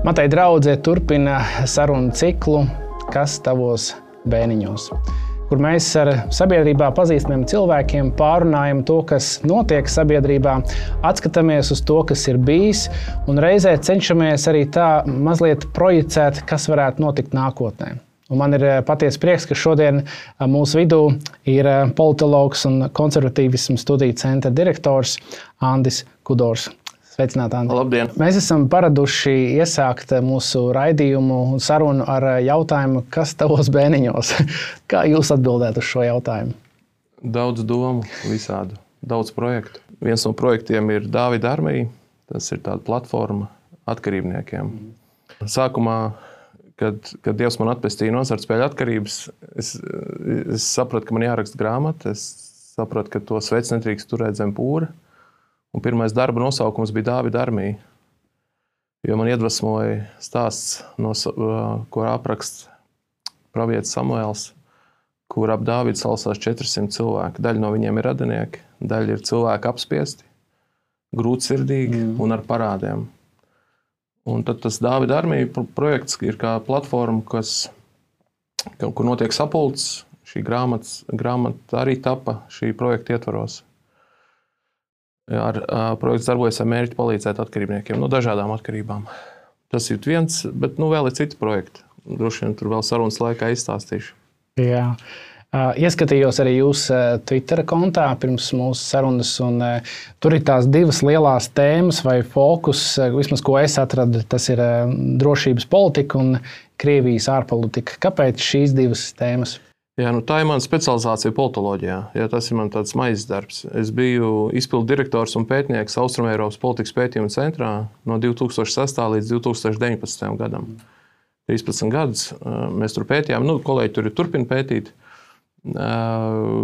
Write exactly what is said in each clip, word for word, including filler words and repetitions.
Matei draudzē turpina sarunu ciklu Kas tavos bēniņos, kur mēs ar sabiedrībā pazīstamiem cilvēkiem pārunājam to, kas notiek sabiedrībā, atskatāmies uz to, kas ir bijis, un reizē cenšamies arī tā mazliet projicēt, kas varētu notikt nākotnē. Un man ir patiesi prieks, ka šodien mūsu vidū ir politologs un konservatīvismu studiju centra direktors Andis Kudors. Sveicināti, Andi. Labdien! Mēs esam paraduši iesākt mūsu raidījumu un sarunu ar jautājumu, kas tavos bēniņos? Kā jūs atbildētu uz šo jautājumu? Daudz domu, visādu, daudz projektu. Viens no projektiem ir Dāvida armija. Tas ir tāda platforma atkarībniekiem. Sākumā, kad, kad Dievs man atpestīja no azartspēļu atkarības, es, es sapratu, ka man jāraksta grāmata. Es sapratu, ka to sveci nedrīkst turēt zem pūra. Un pirmais darba nosaukums bija Dāvida armija, jo man iedvesmoja stāsts, no, ko apraksta pravietis Samuēls, kur ap Dāvidu salasās četri simti cilvēki. Daļa no viņiem ir radinieki, daļa ir cilvēki apspiesti, grūtsirdīgi mm. un ar parādiem. Un tad tas Dāvida armija projekts ir kā platforma, kas, kur notiek sapulcs. Šī grāmata, grāmata arī tapa šī projekta ietvaros. Ar, ar, projekts darbojas ar mērķi palīdzēt atkarībniekiem no dažādām atkarībām. Tas ir viens, bet nu, vēl ir citi projekti. Droši vien tur vēl sarunas laikā izstāstīšu. Jā. Ieskatījos arī jūsu Twitter kontā pirms mūsu sarunas, un tur ir tās divas lielās tēmas vai fokus, vismaz ko es atradu, tas ir drošības politika un Krievijas ārpolitika. Kāpēc šīs divas tēmas? Jā, nu tā ir mana specializācija politoloģijā. Jā, tas ir man tāds maizes darbs. Es biju izpildu direktors un pētnieks Austrumeiropas politikas pētījuma centrā no divi tūkstoši sestā līdz divi tūkstoši deviņpadsmitajam gadam. trīspadsmit gadus mēs tur pētījām. Nu, kolēģi tur ir turpina pētīt.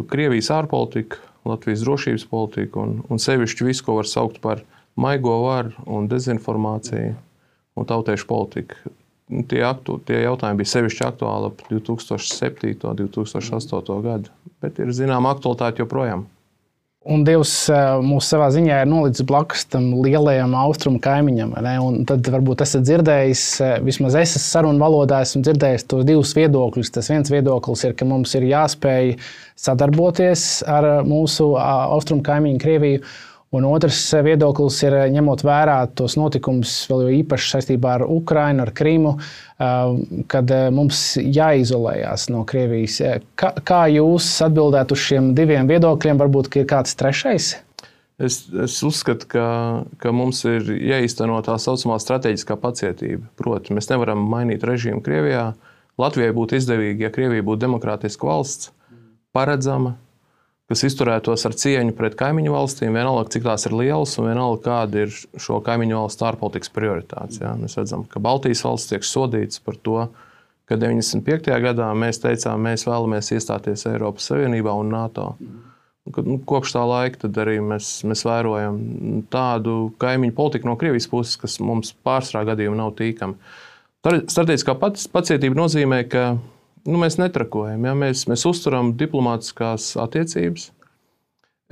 Krievijas ārpolitika, Latvijas drošības politika un, un sevišķi visu, ko var saukt par maigo varu un dezinformāciju un tautiešu politiku. Tie, aktu, tie jautājumi bija sevišķi aktuāli ap divi tūkstoši septīto, divi tūkstoši astoto gadu, bet ir zināma aktualitāte joprojām. Un Dievs mūs savā ziņā ir nolicis blakus tam lielajam austrumu kaimiņam, ne? Un tad varbūt esat dzirdējis, vismaz es sarunu valodā esmu dzirdējis tos divus viedokļus. Tas viens viedoklis ir, ka mums ir jāspēj sadarboties ar mūsu austrumu kaimiņu Krieviju. Un otrs viedoklis ir, ņemot vērā tos notikumus, vēl jo īpaši saistībā ar Ukrainu, ar Krimu, kad mums jāizolējās no Krievijas. Kā, kā jūs atbildētu uz šiem diviem viedokļiem? Varbūt ir kāds trešais? Es, es uzskatu, ka, ka mums ir jāīsteno tā saucamā strateģiskā pacietība. Proti, mēs nevaram mainīt režīmu Krievijā. Latvijai būtu izdevīgi, ja Krievija būtu demokrātiska valsts, paredzama, kas izturētos ar cieņu pret kaimiņu valstīm, vienalga, cik tās ir lielas un vienalga, kāda ir šo kaimiņu valstu ārpolitikas prioritātes. Ja? Mēs redzam, ka Baltijas valsts tiek sodīts par to, ka deviņdesmit piektajā gadā mēs teicām, mēs vēlamies iestāties Eiropas Savienībā un NATO. Un, nu, kopš tā laika tad arī mēs, mēs vērojam tādu kaimiņu politiku no Krievijas puses, kas mums pārsvarā gadījumā nav tīkama. Strateģiskā pacietība nozīmē, ka Nu, mēs netrakojam, ja? mēs, mēs uzturam diplomātiskās attiecības,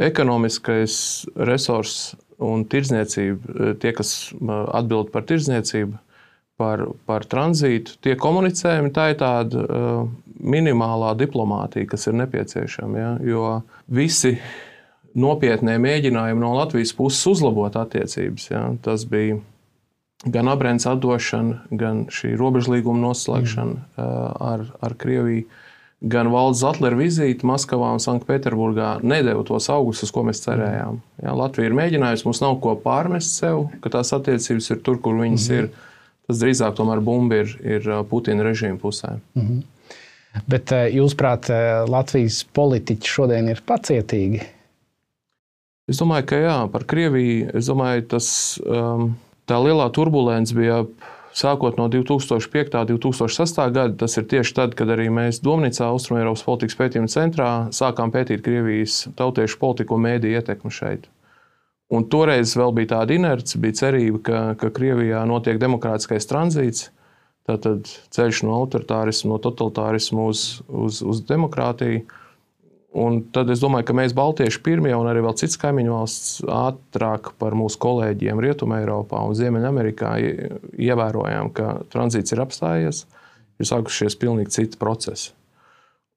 ekonomiskais resurss un tirdzniecība, tie, kas atbild par tirdzniecību, par, par tranzītu, tie komunicējumi, tā ir tāda uh, minimālā diplomātija, kas ir nepieciešama, ja? Jo visi nopietnie mēģinājumi no Latvijas puses uzlabot attiecības, ja? Tas bija gan Abrēnas atdošana, gan šī robežlīguma noslēgšana mm. ar, ar Krieviju, gan valdes Zatlera vizīte Maskavā un Sanktpēterburgā nedeva tos augus, uz ko mēs cerējām. Ja, Latvija ir mēģinājusi, mums nav ko pārmest sev, ka tās attiecības ir tur, kur viņas mm. ir. Tas drīzāk tomēr bumba ir, ir Putina režīma pusē. Mm. Bet jūsuprāt, Latvijas politiķi šodien ir pacietīgi? Es domāju, ka jā, par Krieviju, es domāju, tas... Um, Tā lielā turbulence bija sākot no divi tūkstoši piektā, divi tūkstoši sestā gada. Tas ir tieši tad, kad arī mēs Domnīcā, Austrumeiropas politikas pētījuma centrā, sākām pētīt Krievijas tautiešu politiku un mēdīju ietekmi šeit. Un toreiz vēl bija tāda inerce, bija cerība, ka, ka Krievijā notiek demokrātiskais tranzīts, tātad ceļš no autoritārismu, no totalitārismu uz, uz, uz demokrātiju. Un tad es domāju, ka mēs baltieši pirmie un arī vēl cits kaimiņu valsts ātrāk par mūsu kolēģiem Rietumē Eiropā un Ziemeļamerikā ievērojām, ka tranzīts ir apstājies, ir sākušies pilnīgi citi procesi.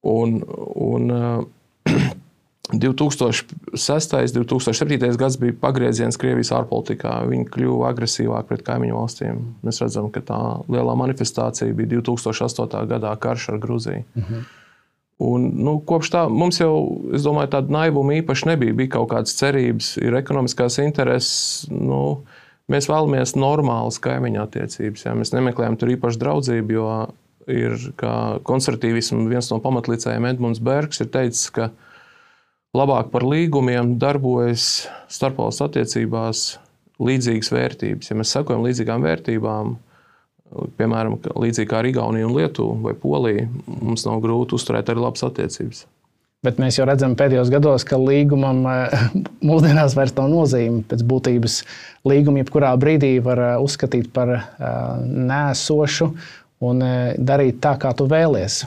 Un, un divi tūkstoši sestais, divi tūkstoši septītais gads bija pagrieziens Krievijas ārpolitikā. Viņi kļuva agresīvāk pret kaimiņu valstīm. Mēs redzam, ka tā lielā manifestācija bija divi tūkstoši astotā gadā karš ar Gruziju. Mhm. Un, nu, kopš tā mums jau, es domāju, tāda naivuma īpaši nebija. Bija kaut kādas cerības, ir ekonomiskās intereses. Nu, mēs vēlamies normālas kaimiņu attiecības. Ja? Mēs nemeklējam tur īpaši draudzību, jo ir, kā konservatīvismu viens no pamatlicējiem Edmunds Bergs ir teicis, ka labāk par līgumiem darbojas starpvalstu attiecībās līdzīgas vērtības. Ja mēs sakojam līdzīgām vērtībām, piemēram, līdzīgi kā ar Igauniju un Lietuvu vai Poliju, mums nav grūti uzturēt arī labas attiecības. Bet mēs jau redzam pēdējos gados, ka līgumam mūsdienās vairs nav nozīme. Pēc būtības līgumu jebkurā brīdī var uzskatīt par neesošu un darīt tā, kā tu vēlies.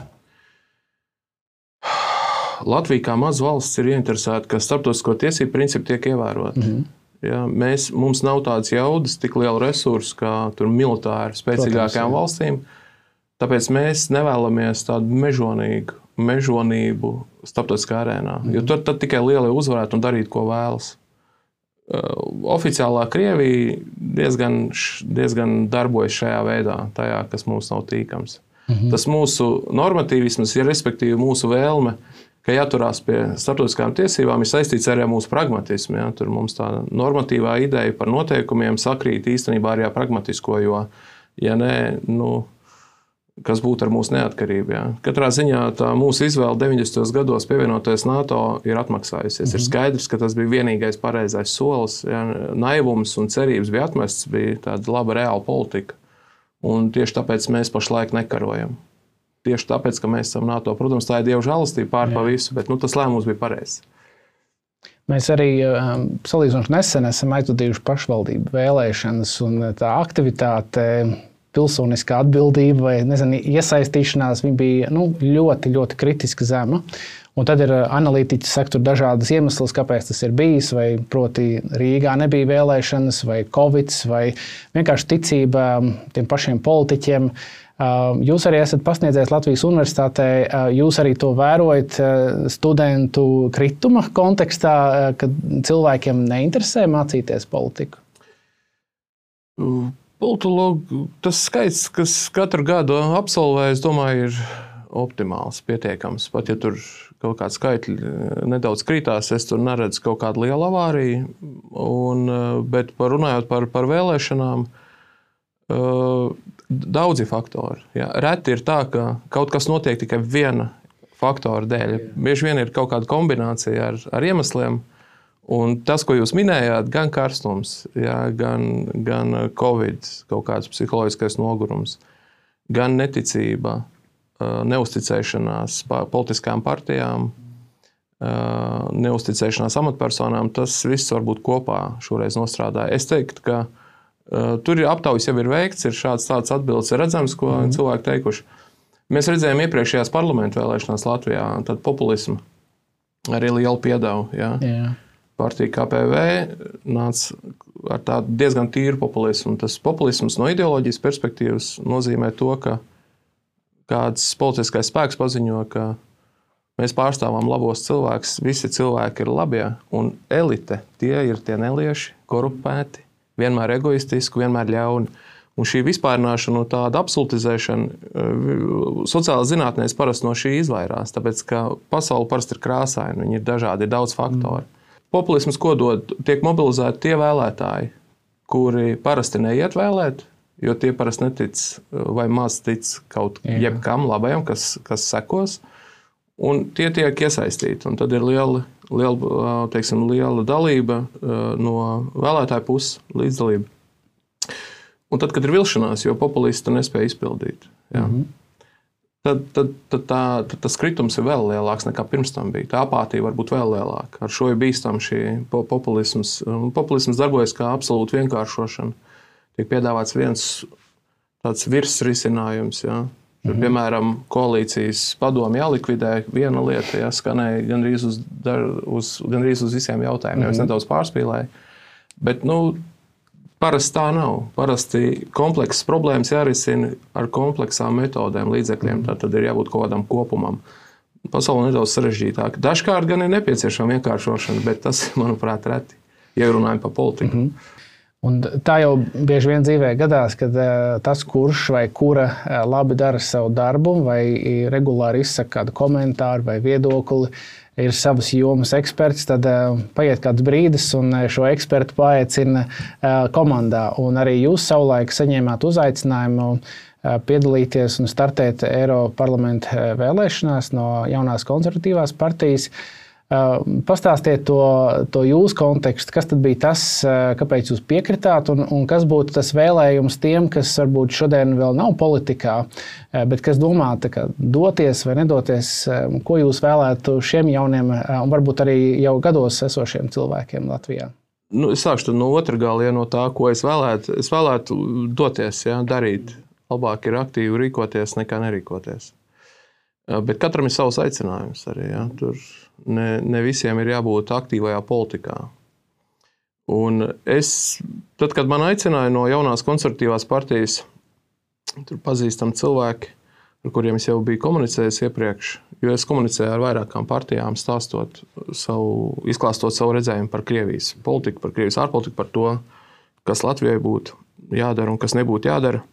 Latvija kā maza valsts ir ieinteresēta, ka starptautisko tiesību principi tiek ievēroti. Mm-hmm. Ja, mēs, mums nav tādas jaudas, tik liela resursa, kā tur militāri spēcīgākajām Protams, valstīm. Tāpēc mēs nevēlamies tādu mežonīgu, mežonību starptautiskā arēnā. Mm. Jo tur tad tikai lielie uzvarētu un darīt, ko vēlas. Uh, oficiālā Krievija diezgan, diezgan darbojas šajā veidā, tajā, kas mums nav tīkams. Mm-hmm. Tas mūsu normatīvisms, ja respektīvi mūsu vēlme, ka jāturās pie starptautiskām tiesībām, ir saistīts arī ar mūsu pragmatismu. Ja? Tur mums tā normatīvā ideja par noteikumiem sakrīt īstenībā arī ar pragmatisko, jo, ja nē, nu, kas būtu ar mūsu neatkarību. Ja? Katrā ziņā tā mūsu izvēle deviņdesmitajos gados pievienoties NATO ir atmaksājusies. Mm-hmm. Ir skaidrs, ka tas bija vienīgais pareizais solis. Ja? Naivums un cerības bija atmests, bija tāda laba reāla politika. Un tieši tāpēc mēs pašlaik nekarojam. Tieši tāpēc, ka mēs esam NATO. Protams, tā ir Dieva žēlastība pār pa visu, bet nu, tas lēmums bija pareizs. Mēs arī um, salīdzinoši nesen esam aizvadījuši pašvaldību vēlēšanas, un tā aktivitāte, pilsoniskā atbildība vai nezinu, iesaistīšanās viņa bija nu, ļoti, ļoti kritiski zema. Un tad ir analītiķi saka tur dažādas iemeslas, kāpēc tas ir bijis, vai proti Rīgā nebija vēlēšanas, vai Covids, vai vienkārši ticība tiem pašiem politiķiem. Jūs arī esat pasniedzējis Latvijas Universitātē, jūs arī to vērojat studentu krituma kontekstā, kad cilvēkiem neinteresē mācīties politiku? Politologu, tas skaits, kas katru gadu absolvē, es domāju, ir optimāls, pietiekams. Pat ja tur kaut kādi skaitļi nedaudz krītās, es tur neredzu kaut kādu lielu avāriju, un, bet par, runājot par, par vēlēšanām, daudzi faktori. Ja. Reti ir tā, ka kaut kas notiek tikai viena faktora dēļ. Bieži vien ir kaut kāda kombinācija ar, ar iemesliem. Un tas, ko jūs minējāt, gan karstums, ja, gan, gan Covid, kaut kāds psiholoģiskais nogurums, gan neticība, neusticēšanās politiskām partijām, neusticēšanās amatpersonām, tas viss varbūt kopā šoreiz nostrādāja. Es teiktu, ka tur ir aptaujas jau ir veikts, ir šāds tāds atbildes redzams, ko mm. cilvēki teikuši. Mēs redzējām iepriekšējās parlamentu vēlēšanās Latvijā, tad populismu arī lielu piedevu. Ja. Yeah. Partija K P V nāca ar tādu diezgan tīru populismu. Tas populisms no ideoloģijas perspektīvas nozīmē to, ka kāds politiskais spēks paziņo, ka mēs pārstāvam labos cilvēkus, visi cilvēki ir labie, un elite, tie ir tie nelieši, korupēti, vienmēr egoistiski, vienmēr ļauni. Un šī vispārināšana un tāda absolutizēšana sociālās zinātnēs parasti no šī izvairās, tāpēc, ka pasaule parasti ir krāsaina, viņi ir dažādi, ir daudz faktori. Mm. Populisms, ko dod, tiek mobilizēti tie vēlētāji, kuri parasti neiet vēlēt, jo tie parasti netic vai maz tic kaut Jā. jebkam labajam, kas, kas sekos, un tie tiek iesaistīti. Un tad ir liela, liela, teiksim, liela dalība no vēlētāju puses, līdzdalība. Un tad, kad ir vilšanās, jo populisti nespēja izpildīt, jā, mm-hmm. tad, tad, tad, tā, tad tas kritums ir vēl lielāks nekā pirms tam bija. Tā apātija var būt vēl lielāka. Ar šo ir bīstam šī populisms. Populisms darbojas kā absolūta vienkāršošana. Tiek piedāvāts viens tāds virsrisinājums, jā. Tur, piemēram, koalīcijas padomi jālikvidē viena lieta, ja, skanēja gandrīz uz, uz, gandrīz uz visiem jautājumiem. Mm-hmm. Es nedaudz pārspīlēju. Bet, nu, parasti tā nav. Parasti komplekses problēmas jārisina ar kompleksām metodēm, līdzekļiem. Tā tad ir jābūt kaut kādam kopumam. Pasaule nedaudz sarežģītāka. Dažkārt gan ir nepieciešama vienkāršošana, bet tas, manuprāt, reti, ja runājam par politiku. Mm-hmm. Un tā jau bieži vien dzīvē gadās, kad tas, kurš vai kura labi dara savu darbu, vai regulāri izsaka kādu komentāru vai viedokli, ir savas jomas eksperts, tad paiet kāds brīdis un šo ekspertu paaicina komandā. Un arī jūs savulaik saņēmāt uzaicinājumu piedalīties un startēt Eiroparlamenta vēlēšanās no jaunās konservatīvās partijas. Pastāstiet to, to jūsu kontekstu, kas tad bija tas, kāpēc jūs piekritāt, un, un kas būtu tas vēlējums tiem, kas varbūt šodien vēl nav politikā, bet kas domā kā, doties vai nedoties, ko jūs vēlētu šiem jauniem un varbūt arī jau gados esošiem cilvēkiem Latvijā? Nu, es sākšu no otra gala, ja no tā, ko es vēlētu. Es vēlētu doties, ja, darīt. Labāk ir aktīvi rīkoties nekā nerīkoties. Bet katram ir savs aicinājums arī. Ja? Tur ne, ne visiem ir jābūt aktīvajā politikā. Un es, tad, kad man aicināja no jaunās konservatīvās partijas, tur pazīstam cilvēki, ar kuriem es jau biju komunicējis iepriekš, jo es komunicēju ar vairākām partijām, stāstot savu, izklāstot savu redzējumu par Krievijas politiku, par Krievijas ārpolitiku, par to, kas Latvijai būtu jādara un kas nebūtu jādara.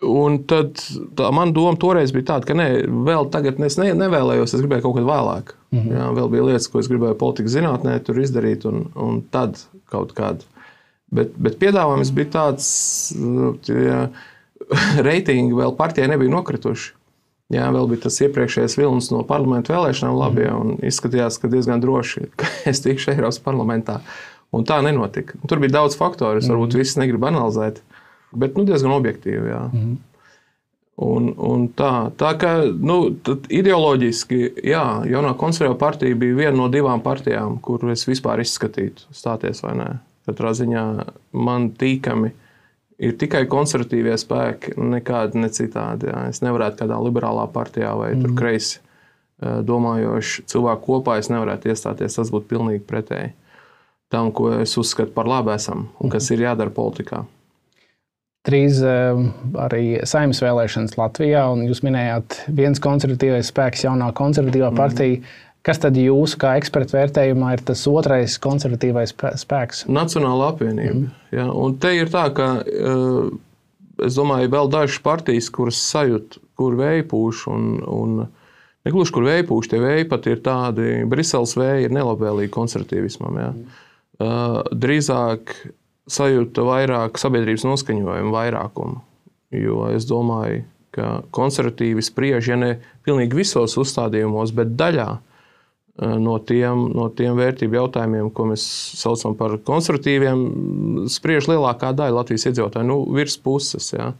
Un tad tā man doma toreiz bija tāda, ka ne, vēl tagad es ne, nevēlējos, es gribēju kaut kad vēlāk. Mm-hmm. Jā, vēl bija lietas, ko es gribēju politikas zinātnē tur izdarīt, un, un tad kaut kādu. Bet, bet piedāvājums bija tāds, ja reitingi vēl partijai nebija nokrituši. Jā, vēl bija tas iepriekšējais vilnis no parlamentu vēlēšanām labi, un izskatījās, ka diezgan droši, ka es tikšu Eiropas parlamentā. Un tā nenotika. Tur bija daudz faktoru, es varbūt visus negribu analizēt. Bet nu, diezgan objektīvi. Jā. Mm-hmm. Un, un tā, tā kā nu, ideoloģiski, jā, jaunā konservatīvā partija bija viena no divām partijām, kur es vispār izskatītu, stāties vai nē. Katrā ziņā man tīkami ir tikai konservatīvie spēki, nekādi ne citādi. Jā. Es nevarētu kādā liberālā partijā vai mm-hmm. tur kreisi domājoši cilvēku kopā, es nevarētu iestāties, tas būtu pilnīgi pretēji tam, ko es uzskatu par labu esam un kas ir jādara politikā. Drīz arī Saeimas vēlēšanas Latvijā, un jūs minējāt viens konservatīvais spēks, jaunā konservatīvā partija. Mm. Kas tad jūsu kā ekspertu vērtējumā ir tas otrais konservatīvais spēks? Nacionāla apvienība. Mm. Ja, un te ir tā, ka es domāju, vēl dažas partijas, kuras sajūt, kur vēja pūš, un, un negluži, kur vēja pūš, tie vēji pat ir tādi, Briseles vēji ir nelabvēlīgi konservatīvismam. Ja. Mm. Drīzāk sajūta vairāk sabiedrības noskaņojumu vairākumu, jo es domāju, ka konservatīvi spriež, ja ne pilnīgi visos uzstādījumos, bet daļā no tiem, no tiem vērtību jautājumiem, ko mēs saucam par konservatīviem, spriež lielākā daļa Latvijas iedzīvotāju, nu, virs puses, ja.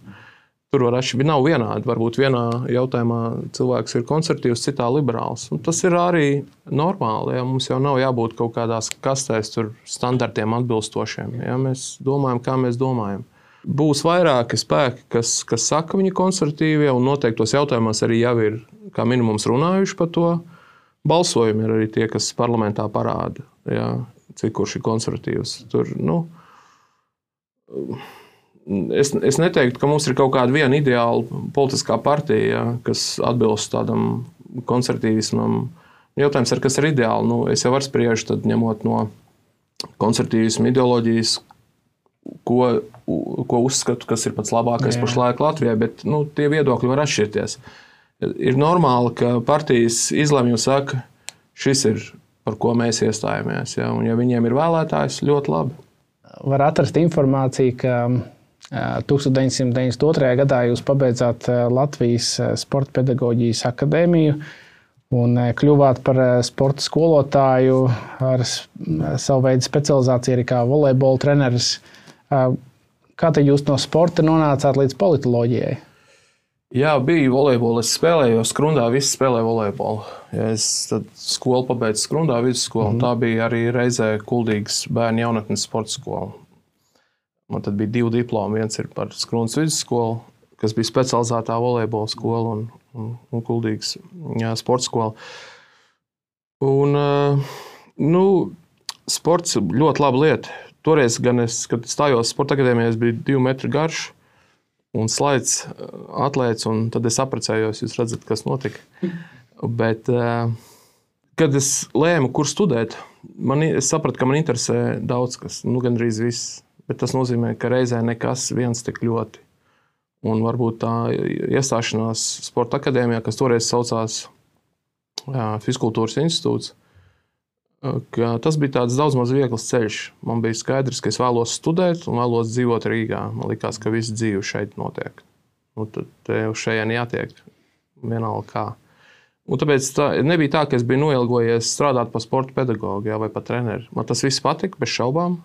Tur var atšķirt, nav vienādi, varbūt vienā jautājumā cilvēks ir konservatīvs, citā liberāls. Un tas ir arī normāli, ja mums jau nav jābūt kaut kādās kastēs tur standartiem atbilstošiem, ja mēs domājam, kā mēs domājam. Būs vairāki spēki, kas, kas saka viņi konservatīvie, un noteiktos jautājumos arī jau ir kā minimums runājuši par to. Balsojumi ir arī tie, kas parlamentā parāda, ja, cik kurš ir konservatīvs. Tur, nu, Es, es neteiktu, ka mums ir kaut kāda viena ideāla politiskā partija, ja, kas atbilst tādam konservatīvismam. Jautājums ir, kas ir ideāli. Nu, es jau varu spriežu, tad ņemot no konservatīvismu ideoloģijas, ko, ko uzskatu, kas ir pats labākais Jā. Pašlaik Latvijai, bet nu, tie viedokļi var atšķirties. Ir normāli, ka partijas izlemj un saka, šis ir, par ko mēs iestājamies. Ja, un ja viņiem ir vēlētājs, ļoti labi. Var atrast informāciju, ka tūkstoš deviņsimt deviņdesmit otrajā gadā jūs pabeidzāt Latvijas sporta pedagoģijas akadēmiju un kļuvāt par sporta skolotāju ar savu veidu specializāciju arī kā volejbola treneris. Kā tad jūs no sporta nonācāt līdz politoloģijai? Jā, bija volejbola. Es spēlēju Skrundā, visi spēlēja volejbolu. Ja es tad skolu pabeidzu Skrundā, vidusskolu, mm. tā bija arī reizē Kuldīgas bērnu jaunatnes sporta skola. Man tad bija divi diplomi. Viens ir par Skrundas vidusskolu, kas bija specializētā volejbola skola un, un, un Kuldīgas jā, sporta skola. Un, nu, sports ļoti laba lieta. Toreiz, gan es, kad stājos sporta akadēmijā, es biju divu metru garš un slaids atlēts, un tad es apprecējos, jūs redzat, kas notika. Bet, kad es lēmu, kur studēt, man, es sapratu, ka man interesē daudz kas, nu gandrīz viss. Bet tas nozīmē, ka reizē nekas viens tik ļoti. Un varbūt tā iestāšanās sporta akadēmijā, kas toreiz saucās jā, Fiskultūras institūts, ka tas bija tāds daudz maz viegls ceļš. Man bija skaidrs, ka es vēlos studēt un vēlos dzīvot Rīgā. Man likās, ka viss dzīve šeit notiek. Un tad te uz šejien jātiek vienalga kā. Un tāpēc tā, nebija tā, ka es biju noilgojies strādāt par sporta pedagogu jā, vai par treneri. Man tas viss patika, bez šaubām,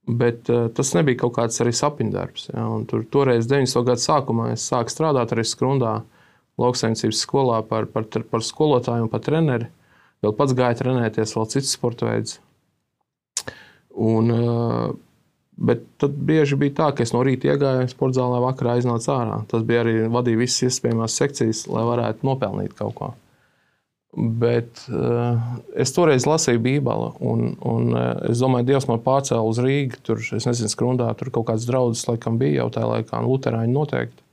bet uh, tas nebija kaut kāds arī sapņdarbs. Jā. Un tur toreiz deviņdesmito gadu sākumā es sāku strādāt arī Skrundā lauksaimniecības skolā par, par, par skolotāju un par treneri. Vēl pats gāja trenēties, vēl cits sporta veids. Un, bet tad bieži bija tā, ka es no rīta iegāju sporta zālē, vakarā iznācu ārā. Tas bija arī vadīja visas iespējamās sekcijas, lai varētu nopelnīt kaut ko. Bet es toreiz lasīju Bībeli, un, un es domāju, Dievs man pārcēla uz Rīgu. Tur, es nezinu, Skrundā, tur kaut kāds draudzes laikam bija jau tajā laikā, un luterāņi noteikti.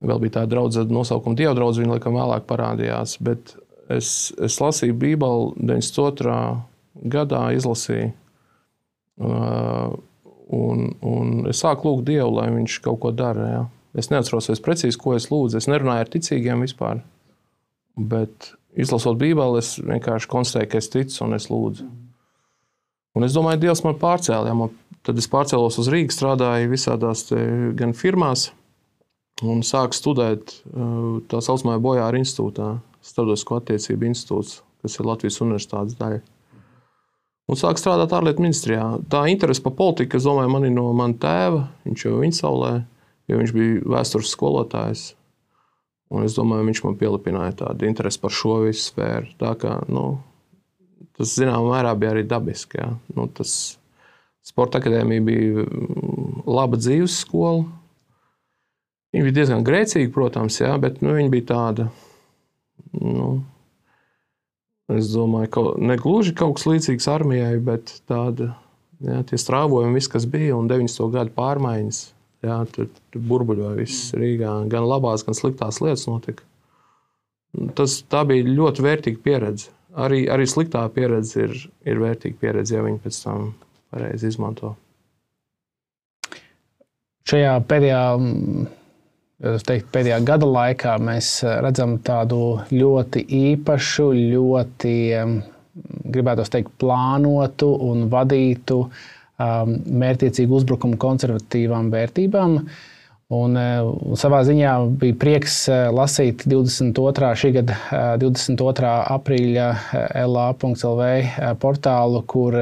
Vēl bija tā draudze nosaukuma Dieva draudze, viņa laikam vēlāk parādījās, bet Es, es lasīju Bībeli deviņdesmit otrā gadā, izlasīju, uh, un, un es sāku lūgt Dievu, lai viņš kaut ko dara. Ja. Es neatceros es precīzi, ko es lūdzu. Es nerunāju ar ticīgiem vispār, bet izlasot Bībeli, es vienkārši konstatēju, ka es ticu un es lūdzu. Un es domāju, Dievs man pārcēla. Ja. Man, tad es pārcēlos uz Rīgu, strādāju visādās te, gan firmās un sāku studēt uh, tā saucamajā Bojāra institūtā. Starptautisko attiecību institūts, kas ir Latvijas universitātes daļa. Un sāk strādāt ārlietu ministrijā. Tā interese par politiku, es domāju, man ir no mana tēva, viņš jau viņa saulē, jo viņš bija vēstures skolotājs. Un es domāju, viņš man pielipināja tādu interesi par šo visu sfēru. Tā kā, nu, tas zināmā mērā bija arī dabiski. Jā. Nu, tas sporta akadēmija bija laba dzīves skola. Viņa bija diezgan grēcīga, protams, jā, bet nu, viņa bija tāda, nu, es domāju, ka ne gluži kaut kas līdzīgs armijai, bet tāda, jā, tie strāvojumi, viss, kas bija, un deviņdesmito gadu pārmaiņas, jā, tur, tur burbuļoja viss Rīgā, gan labās, gan sliktās lietas notika. Tas, tā bija ļoti vērtīga pieredze. Arī, arī sliktā pieredze ir, ir vērtīga pieredze, ja viņi pēc tam pareizi izmanto. Šajā pēdējā Es teiktu, pēdējā gada laikā mēs redzam tādu ļoti īpašu, ļoti, gribētu teikt, plānotu un vadītu mērķtiecīgu uzbrukumu konservatīvām vērtībām. Un, un savā ziņā bija prieks lasīt divdesmit otrā šī gada divdesmit otrā aprīļa L A punkts L V portālu, kur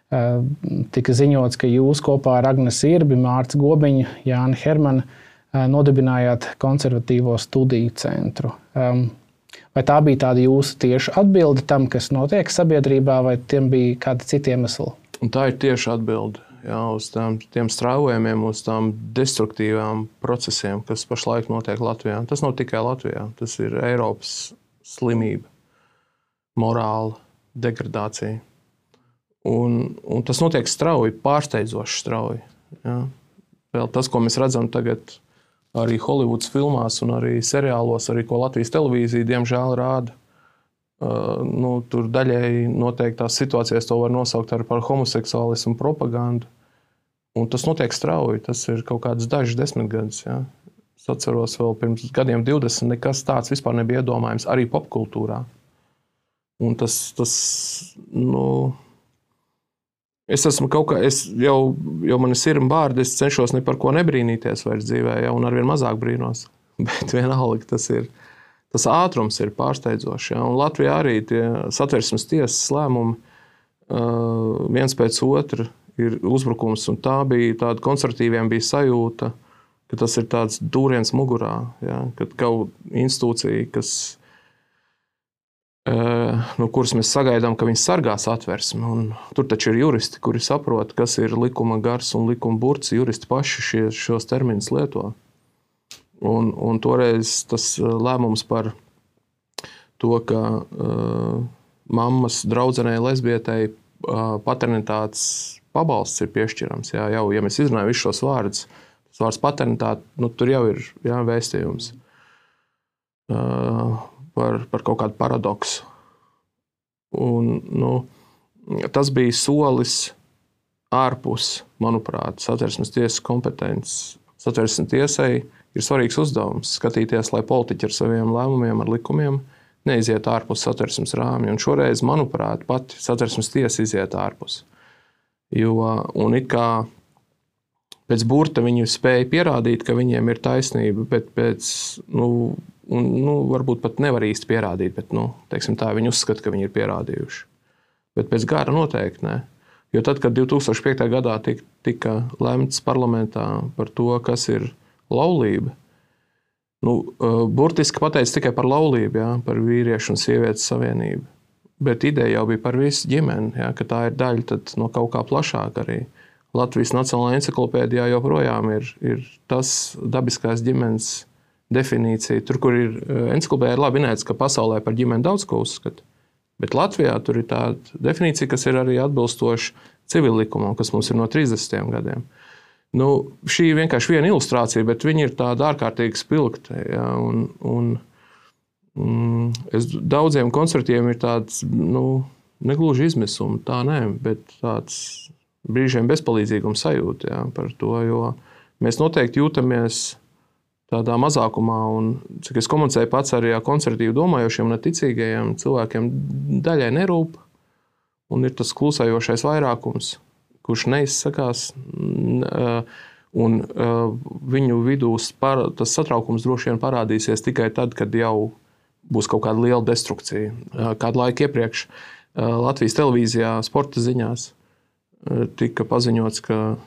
tika ziņots, ka jūs kopā ar Agnes Irbi, Mārtu Gobiņu, Jāni Hermanu nodibinājāt konservatīvo studiju centru. Vai tā bija tāda jūsu tieša atbilde tam, kas notiek sabiedrībā, vai tiem bija kādi citi iemesli? Un tā ir tieša atbilde jā, uz tām, tiem strāvojumiem, uz tām destruktīvām procesiem, kas pašlaik notiek Latvijā. Tas nav tikai Latvijā, tas ir Eiropas slimība, morāla degradācija. Un, un tas notiek strauji, pārsteidzoši strauji. Jā. Vēl tas, ko mēs redzam tagad arī Holivudas filmās un arī seriālos, arī ko Latvijas televīzija diemžēl rāda. Uh, nu, tur daļēji noteiktās situācijās to var nosaukt ar par homoseksuālismu propagandu. Un tas notiek strauji, tas ir kaut kāds dažs desmitgadus. Ja. Es atceros vēl pirms gadiem divdesmit, nekas tāds vispār nebija iedomājams arī popkultūrā. Un tas, tas nu, es esmu kaut kā, es jau, jau man ir sirma bārdi, es cenšos ne par ko nebrīnīties vairs dzīvē, ja, un arvien mazāk brīnos. Bet vienalga tas ir, tas ātrums ir pārsteidzošs. Ja, un Latvijā arī tie Satversmes tiesas lēmumi uh, viens pēc otra ir uzbrukums, un tā bija tāda konservatīviem bija sajūta, ka tas ir tāds dūriens mugurā, ja, kad kaut institūcija, kas no kuras mēs sagaidām, ka viņi sargās Satversmi. Un tur taču ir juristi, kuri saprot, kas ir likuma gars un likuma burts. Juristi paši šie, šos terminus lieto. Un, un toreiz tas lēmums par to, ka uh, mammas draudzenei lesbietei uh, paternitātes pabalsts ir piešķirams. Jā, jau, ja mēs izrunājam visus šos vārdus, tas vārds paternitāte, nu, tur jau ir jā, vēstījums uh, par, par kaut kādu paradoksu. Un, nu, tas bija solis ārpus, manuprāt, Satversmes tiesas kompetences. Satversmes tiesai ir svarīgs uzdevums skatīties, lai politiķi ar saviem lēmumiem, ar likumiem neiziet ārpus Satversmes rāmja. Un šoreiz, manuprāt, pati Satversmes tiesa iziet ārpus. Jo, un it kā pēc burta viņi spēja pierādīt, ka viņiem ir taisnība, bet pēc, nu, un, nu varbūt pat nevar īsti pierādīt, bet, nu, teiksim tā, viņi uzskata, ka viņi ir pierādījuši. Bet pēc gara noteikti ne. Jo tad, kad divi tūkstoši piektajā gadā tika, tika lemts parlamentā par to, kas ir laulība, nu, burtiski pateica tikai par laulību, jā, par vīriešu un sievietes savienību. Bet ideja jau bija par visu ģimeni, jā, ka tā ir daļa tad no kaut kā plašāk arī. Latvijas Nacionālajā enciklopēdijā joprojām ir, ir tas dabiskās ģimenes definīcija. Tur, kur ir enciklopēdijā, ir labi minēts, ka pasaulē par ģimeni daudz ko uzskata. Bet Latvijā tur ir tāda definīcija, kas ir arī atbilstoša civillikumam, kas mums ir no trīsdesmitiem gadiem. Nu, šī ir vienkārši viena ilustrācija, bet viņi ir tāda ārkārtīgi spilgta. Ja, un, un, mm, es, daudziem koncertiem ir tāds, nu, negluži izmisumi, tā nē, bet tāds brīžiem bezpalīdzīgums sajūta ja, par to, jo mēs noteikti jūtamies tādā mazākumā, un cik es komunicēju pats arī ar konservatīvi domājošiem un ticīgajiem cilvēkiem, daļai nerūp, un ir tas klusējošais vairākums, kurš neizsakās, un viņu vidū tas satraukums droši vien parādīsies tikai tad, kad jau būs kaut kāda liela destrukcija. Kādu laiku iepriekš Latvijas televīzijā sporta ziņās tika paziņots, ka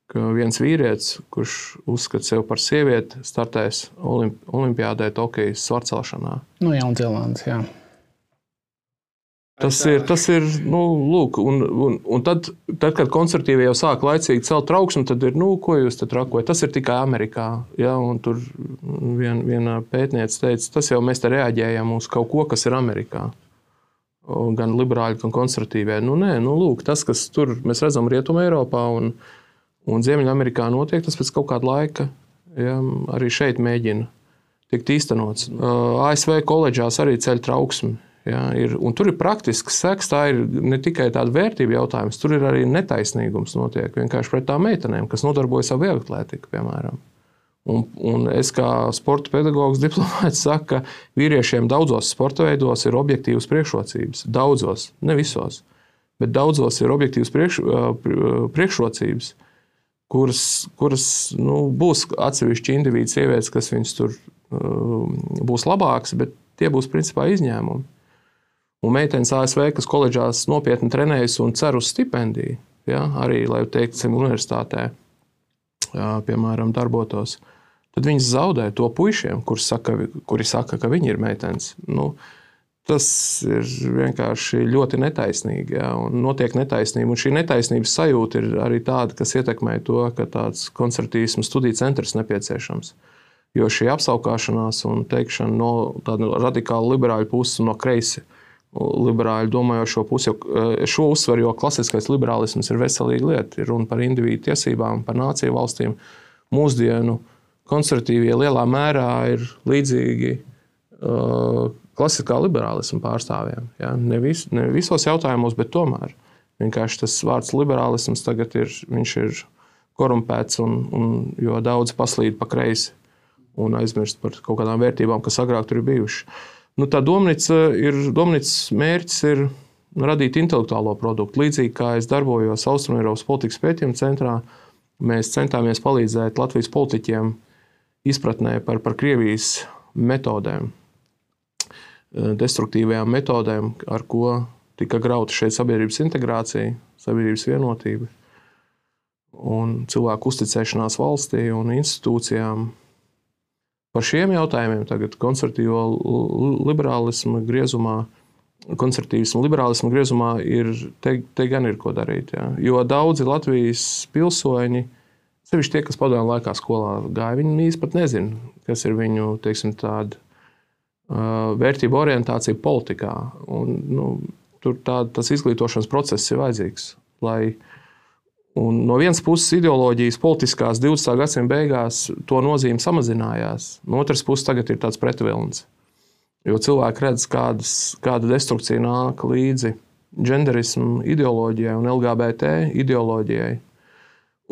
ka viens vīrietis, kurš uzskata sevi par sievieti, startēs olimp, olimpiādē Tokijas svarcelšanā. Nu, Jaunzēlandes, jā. Tas ir, tas ir, nu, lūk, un, un, un tad, tad, kad konservatīvi jau sāk laicīgi celt trauksmi, tad ir, nu, ko jūs tad rakojat? Tas ir tikai Amerikā, ja, un tur vien, viena pētniece teica, tas jau mēs te reaģējam uz kaut ko, kas ir Amerikā. Gan liberāļi, gan konservatīvie. Nu, nē, nu, lūk, tas, kas tur mēs redzam Rietuma Eiropā un Un Ziemeļamerikā notiek, tas pēc kaut kāda laika ja, arī šeit mēģina tikt īstenots. A S V koledžās arī ceļ trauksmi. Ja, ir, un tur ir praktisks seks, tā ir ne tikai tāda vērtība jautājums, tur ir arī netaisnīgums notiek vienkārši pret tām meitenēm, kas nodarbojas ar vieglatlētiku, piemēram. Un, un es kā sporta pedagogs diplomāts saku, ka vīriešiem daudzos sporta veidos ir objektīvas priekšrocības. Daudzos, ne visos, bet daudzos ir objektīvas priekš, priekšrocības. kuras, kuras nu, būs atsevišķi individu sievietes, kas viņas tur uh, būs labākas, bet tie būs principā izņēmumi. Un meitenes A S V, kas koledžās nopietni trenējas un cer uz stipendiju, ja, arī, lai teiksim, universitātē, jā, piemēram, darbotos, tad viņas zaudē to puišiem, kuri saka, kuri saka, ka viņi ir meitenes. Nu, tas ir vienkārši ļoti netaisnīgi, ja, un notiek netaisnība. Un šī netaisnības sajūta ir arī tāda, kas ietekmē to, ka tāds konservatīvismu studiju centrs nepieciešams. Jo šī apsaukāšanās un teikšana no tāda radikāla liberāļu puses un no kreisi liberāļu domājošo pusi, jo šo uzsver, jo klasiskais liberālisms ir veselīga lieta, ir runa par individu tiesībām, par nāciju valstīm. Mūsdienu konservatīvie lielā mērā ir līdzīgi uh, klasiskā liberālisma pārstāvjiem. Ja? Ne, vis, ne visos jautājumos, bet tomēr. Vienkārši tas vārds liberālisms tagad ir, viņš ir korumpēts, un, un, jo daudz paslīd pa kreisi un aizmirst par kaut kādām vērtībām, kas agrāk tur ir bijuši. Nu, tā domnīca ir, domnīcas mērķis ir radīt intelektuālo produktu. Līdzīgi kā es darbojos Austrumeiropas politikas pētījuma centrā, mēs centāmies palīdzēt Latvijas politiķiem izpratnē par, par Krievijas metodēm, destruktīvajām metodēm, ar ko tika grauta šeit sabiedrības integrācija, sabiedrības vienotība un cilvēku uzticēšanās valstī un institūcijām. Par šiem jautājumiem tagad konservatīvo liberālismu griezumā, konservatīvismu liberālismu griezumā ir, te, te gan ir ko darīt. Ja. Jo daudzi Latvijas pilsoņi, sevišķi tie, kas padomju laikā skolā gāja, viņi īsti pat nezina, kas ir viņu, teiksim, tāda uh, vērtība orientācija politikā. Un, nu, tur tā, tas izglītošanas process ir vajadzīgs, lai un no vienas puses ideoloģijas politiskās divdesmitā gadsimta beigās to nozīme samazinājās. No otras puses tagad ir tāds pretvilns. Jo cilvēki redz, kādas, kāda destrukcija nāk līdzi genderismu ideoloģijai un L G B T ideoloģijai.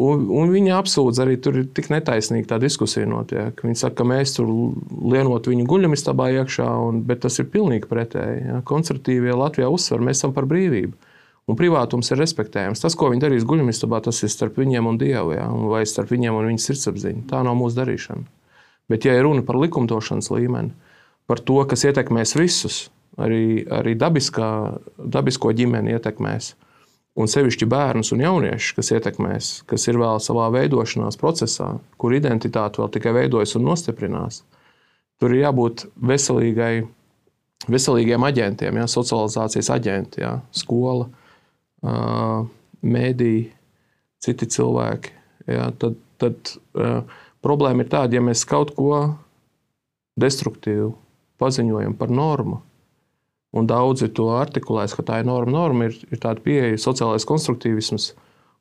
Un, un viņi apsūdz arī, tur ir tik netaisnīgi tā diskusija notiek. Viņi saka, ka mēs tur lienot viņu guļamistabā iekšā, un, bet tas ir pilnīgi pretēji. Ja? Konservatīvie Latvijā uzsver, mēs esam par brīvību. Un privātums ir respektējams. Tas, ko viņi darīs guļamistabā, tas ir starp viņiem un Dievu, ja? Vai starp viņiem un viņas sirdsapziņu. Tā nav mūsu darīšana. Bet ja ir runa par likumdošanas līmeni, par to, kas ietekmēs visus, arī, arī dabiskā, dabisko ģimeni ietekmēs, un sevišķi bērnus un jauniešus, kas ietekmēs, kas ir vēl savā veidošanās procesā, kur identitāte vēl tikai veidojas un nostiprinās. Tur ir jābūt veselīgai, veselīgiem aģentiem, ja, socializācijas aģenti, ja, skola, mēdī, citi cilvēki. Ja, tad tad problēma ir tāda, ja mēs kaut ko destruktīvu paziņojam par normu, un daudzi to artikulēs, ka tā ir norma. Norma ir, ir tāda pieeja, sociālais konstruktīvisms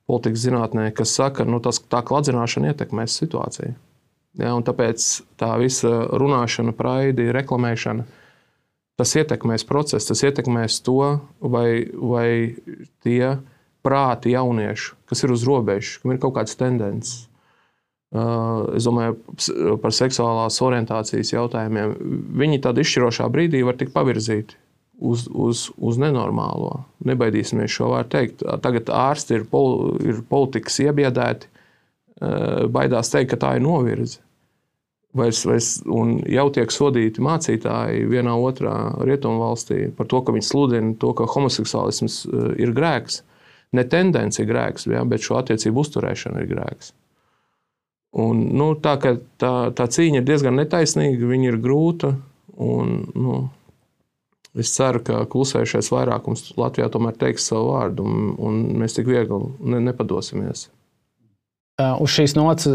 politikas zinātnē, kas saka, nu tas, tā kladzināšana ietekmēs situāciju. Ja, un tāpēc tā visa runāšana, praidi, reklamēšana, tas ietekmēs procesu, tas ietekmēs to, vai, vai tie prāti jauniešu, kas ir uz robežas, kam ir kaut kādas tendences. Es domāju, par seksuālās orientācijas jautājumiem. Viņi tādā izšķirošā brīdī var tikt pavirzīti uz, uz, uz nenormālo. Nebaidīsimies šo vārdu teikt. Tagad ārsti ir, pol, ir politikas iebiedēti, baidās teikt, ka tā ir novirze. Vairs, vairs, un jau tiek sodīti mācītāji vienā otrā rietumu valstī par to, ka viņi sludina to, ka homoseksuālisms ir grēks. Ne tendence ir grēks, ja, bet šo attiecību uzturēšana ir grēks. Un, nu, tā, ka tā, tā cīņa ir diezgan netaisnīga, viņa ir grūta, un nu, es ceru, ka klusējušais vairākums Latvijā tomēr teiks savu vārdu, un, un mēs tik viegli ne, nepadosimies. Uz šīs nots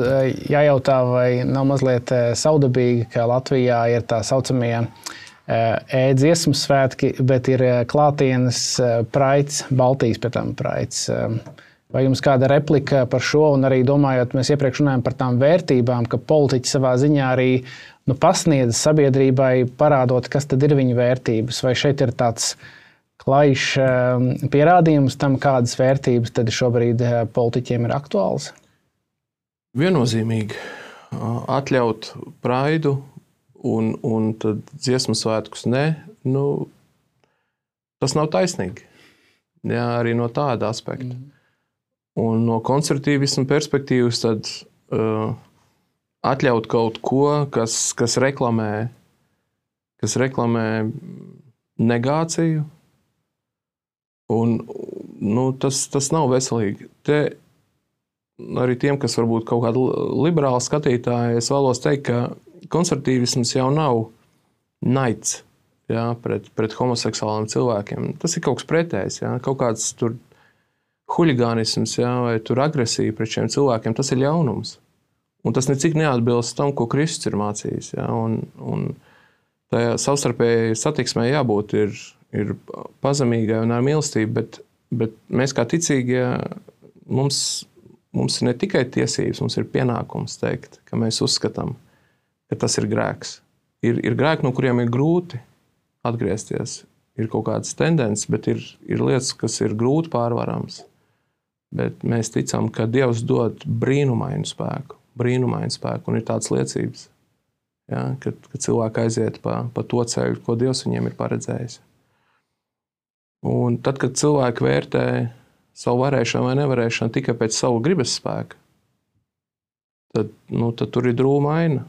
jājautā, vai nav mazliet saudabīgi, ka Latvijā ir tā saucamie e-dziesmu svētki, bet ir klātienes praids, Baltijas pēc tam praids. Vai jums kāda replika par šo, un arī domājot, mēs iepriekš runājam par tām vērtībām, ka politiķi savā ziņā arī nu, pasniedz sabiedrībai, parādot, kas tad ir viņu vērtības, vai šeit ir tāds klajšs pierādījums tam, kādas vērtības tad šobrīd politiķiem ir aktuāls? Viennozīmīgi atļaut praidu un, un tad dziesmu svētkus ne, nu, tas nav taisnīgi. Jā, arī no tāda aspekta. Mm. Un no konservatīvisma perspektīvas tad uh, atļaut kaut ko, kas, kas reklamē, kas reklamē negāciju, un nu, tas, tas nav veselīgi. Te arī tiem, kas varbūt kaut kādi liberāli skatītāji, es vēlos teikt, ka konservatīvisms jau nav naids, jā, pret, pret homoseksuāliem cilvēkiem. Tas ir kaut kas pretējs, jā, kaut kāds tur huligānisms, jā, vai tur agresija pret šiem cilvēkiem, tas ir ļaunums. Un tas necik neatbilst tam, ko Kristus ir mācījis. Jā, un, un tajā savstarpēji satiksmē jābūt ir, ir pazemīgai un ar mīlestību, bet, bet mēs kā ticīgie, mums, mums ir ne tikai tiesības, mums ir pienākums teikt, ka mēs uzskatām, ka tas ir grēks. Ir, ir grēki, no kuriem ir grūti atgriezties. Ir kaut kādas tendences, bet ir, ir lietas, kas ir grūti pārvarams. Bet mēs ticam, ka Dievs dod brīnumainu spēku, brīnumainu spēku, un ir tādas liecības, ja, kad, kad cilvēki aiziet pa, pa to ceļu, ko Dievs viņiem ir paredzējis. Un tad, kad cilvēki vērtē savu varēšanu vai nevarēšanu tikai pēc savu gribas spēka, tad, nu, tad tur ir drūma aina.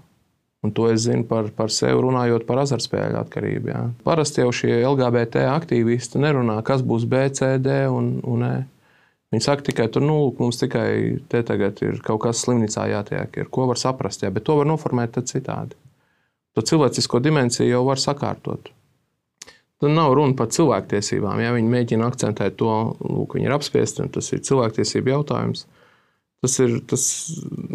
Un to es zinu par, par sevi runājot par azartspēļu atkarību. Ja. Parasti jau šie L G B T aktīvisti nerunā, kas būs B, C, D un, un E. Viņi saka tikai, tur, nu, mums tikai te tagad ir kaut kas slimnīcā jātiek, ir, ko var saprast, jā, bet to var noformēt tad citādi. To cilvēcisko dimensiju jau var sakārtot. Tad nav runa par cilvēktiesībām, ja viņi mēģina akcentēt to, lūk, viņi ir apspiesti, un tas ir cilvēktiesību jautājums. Tas ir tas,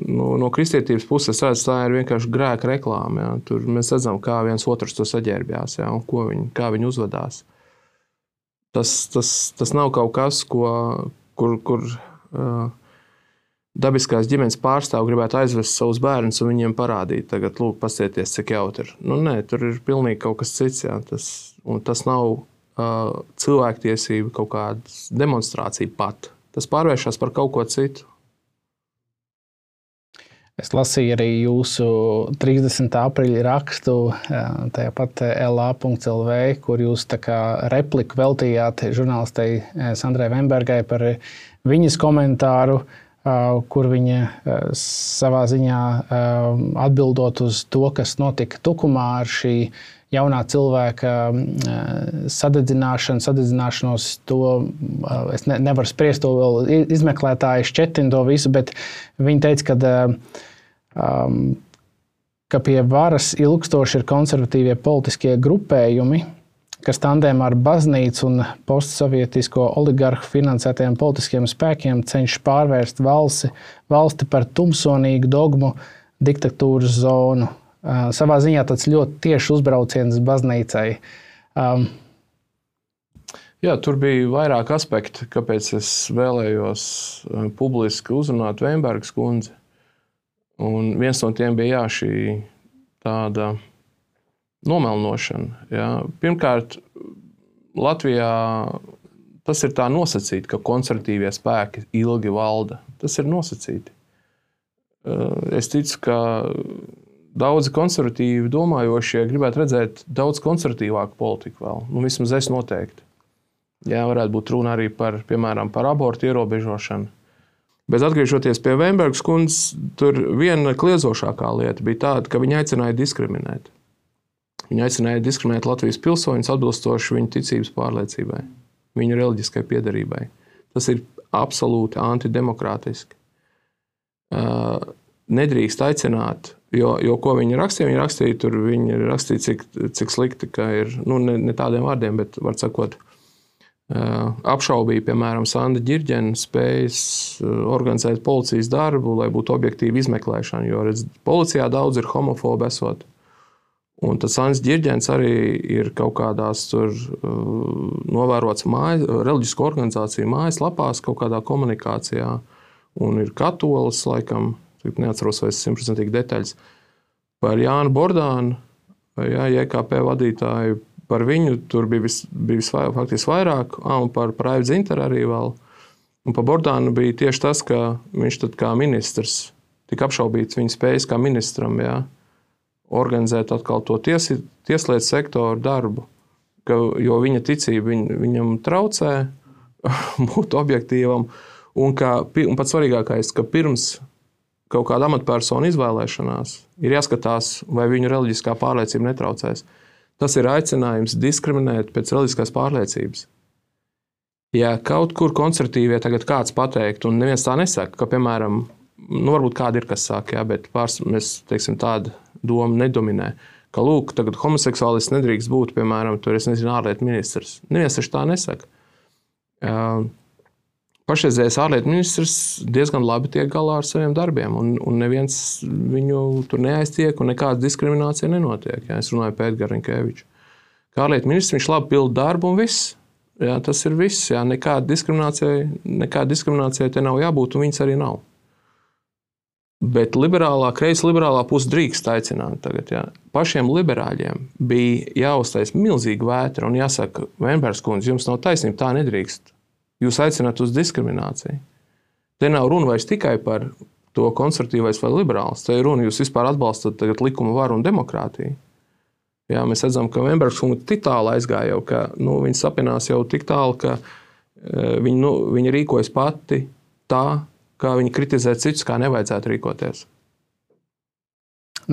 no, no kristietības puses, tā ir vienkārši grēka reklāma. Ja. Tur mēs redzam, kā viens otrs to saģērbjās, ja, un ko viņi, kā viņi uzvedās. Tas, tas, tas nav kaut kas, ko, kur, kur uh, dabiskās ģimenes pārstāv gribētu aizvest savus bērnus un viņiem parādīt. Tagad, lūk, pasieties, cik jautri ir. Nu, nē, tur ir pilnīgi kaut kas cits. Ja. Tas, un tas nav uh, cilvēktiesība kaut kāda demonstrācija pat. Tas pārvēršas par kaut ko citu. Es lasīju arī jūsu trīsdesmitā aprīļa rakstu tajā pat L A punkt L V, kur jūs tā kā repliku veltījāt žurnālistei Sandrai Vembergai par viņas komentāru, kur viņa savā ziņā atbildot uz to, kas notika Tukumā ar šī jaunā cilvēka sadedzināšanu, sadedzināšanos, to es ne, nevaru spriest, to vēl izmeklētāji šķetina to visu, bet viņi teica, ka, um, ka pie varas ilgstoši ir konservatīvie politiskie grupējumi, kas tandēmā ar baznīcu un postsovietisko oligarhu finansētajiem politiskiem spēkiem cenšas pārvērst valsti, valsti par tumsonīgu dogmu diktatūras zonu. Uh, savā ziņā tāds ļoti tieši uzbrauciens baznīcai. Um, Jā, tur bija vairāk aspekti, kāpēc es vēlējos publiski uzrunāt Vembergas kundzi. Un viens no tiem bija jā, šī tāda nomelnošana. Jā. Pirmkārt, Latvijā tas ir tā nosacīti, ka konservatīvie spēki ilgi valda. Tas ir nosacīti. Es ticu, ka daudzi konservatīvi domājošie gribētu redzēt daudz konservatīvāku politiku vēl. Nu, vismaz es noteikti. Jā, varētu būt runa arī par, piemēram, par abortu ierobežošanu. Bet atgriežoties pie Vembergas kundzes, tur viena kliezošākā lieta bija tāda, ka viņa aicināja diskriminēt. Viņa aicināja diskriminēt Latvijas pilsoņus atbilstoši viņu ticības pārliecībai, viņu reliģiskai piederībai. Tas ir absolūti antidemokrātiski. Nedrīkst aicināt, jo, jo ko viņi rakstīja, viņi rakstīja, tur viņi rakstīja, cik, cik slikti, ka ir, nu, ne, ne tādiem vārdiem, bet, var sakot, apšaubīja, piemēram, Sanda Ģirģena spējas organizēt policijas darbu, lai būtu objektīva izmeklēšana, jo, redz, policijā daudz ir homofobi esot. Un tad Sands Ģirģens arī ir kaut kādās tur novērots mājas, reliģisko organizāciju mājas lapās, kaut kādā komunikācijā, un ir katolis, laikam, neatceros vairs simtprocentīgi detaļas, par Jānu Bordānu, jā, J K P vadītāju, par viņu tur bija, vis, bija visvairāk, faktiski vairāk, un par Raivu Dzintaru arī vēl. Un par Bordānu bija tieši tas, ka viņš tad kā ministrs tika apšaubīts viņa spējas kā ministram, jā, organizēt atkal to tiesi, tieslietu sektoru darbu, ka, jo viņa ticība viņ, viņam traucē būt objektīvam, un, ka, un pats svarīgākais, ka pirms kaut kāda amatpersona izvēlēšanās ir jāskatās, vai viņu reliģiskā pārliecība netraucēs. Tas ir aicinājums diskriminēt pēc reliģiskās pārliecības. Ja kaut kur konservatīvie tagad kāds pateikt, un neviens tā nesaka, ka, piemēram, nu, varbūt kādi ir, kas saka, jā, bet pārs, mēs, teiksim, tāda doma nedominē, ka, lūk, tagad homoseksuālists nedrīkst būt, piemēram, tur, es nezinu, ārlietu ministrs. Neviens taču tā nesaka. Uh, Pašreizējais ārlietu ministrs diezgan labi tiek galā ar saviem darbiem, un, un neviens viņu tur neaiztiek, un nekāda diskriminācija nenotiek. Jā, es runāju par Edgaru Rinkēviču. Kā ārlietu ministrs viņš labi pilda darbu, un viss. Jā, tas ir viss. Jā, nekāda diskriminācija, nekāda diskriminācija te nav jābūt, un viņas arī nav. Bet liberālā, kreisa liberālā puse drīkst aicināt tagad. Jā. Pašiem liberāļiem bija jāuztais milzīga vētra, un jāsaka, Vembergas kundze, jums nav taisnība, tā nedrīkst. Jūs aicināt uz diskrimināciju. Te nav runa vairs tikai par to konservatīvais vai liberāls. Te ir runa, jūs vispār atbalstat tagad likumu varu un demokrātiju. Jā, mēs redzam, ka Vembergas kundze tik tālu aizgāja jau, ka nu, viņi sapinās jau tik tālu, ka uh, viņi, nu, viņi rīkojas pati tā, kā viņi kritizē citus, kā nevajadzētu rīkoties.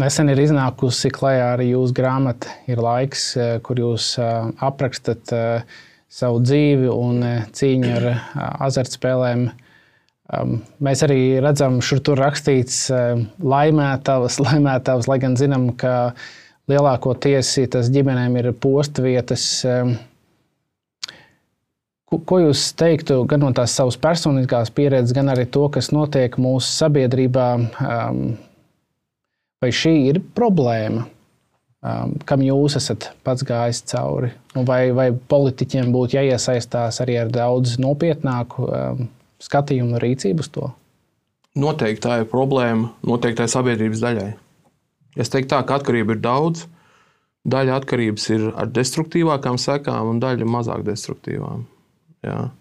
Nesen ir iznākusi klajā arī jūsu grāmata Ir laiks, kur jūs uh, aprakstat uh, savu dzīvi un cīņu ar azartspēlēm. Mēs arī redzam, šur tur rakstīts laimētavas, laimētavas, lai gan zinām, ka lielākoties tas ģimenēm ir postvietas. Ko, ko jūs teiktu gan no tās savas personiskās pieredzes, gan arī to, kas notiek mūsu sabiedrībā? Vai šī ir problēma, kam jūs esat pats gājis cauri? Vai, vai politiķiem būtu jāiesaistās arī ar daudz nopietnāku skatījumu un rīcību uz to? Noteikti tā ir problēma noteiktai sabiedrības daļai. Es teiktu tā, ka atkarība ir daudz. Daļa atkarības ir ar destruktīvākām sekām un daļa mazāk destruktīvām. Jā.